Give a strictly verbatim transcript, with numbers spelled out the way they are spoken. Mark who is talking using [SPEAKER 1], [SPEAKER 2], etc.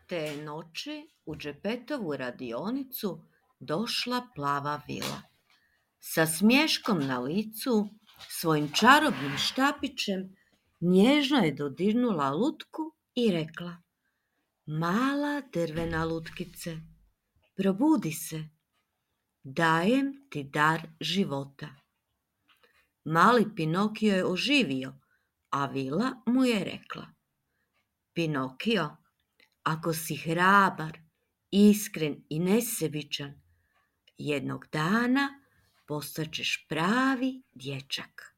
[SPEAKER 1] Te noći u Džepetovu radionicu došla plava vila. Sa smješkom na licu, svojim čarobnim štapićem, nježno je dodirnula lutku i rekla: Mala drvena lutkice, probudi se, dajem ti dar života. Mali Pinokio je oživio, a vila mu je rekla: Pinokio, ako si hrabar, iskren i nesebičan, jednog dana postaćeš pravi dječak.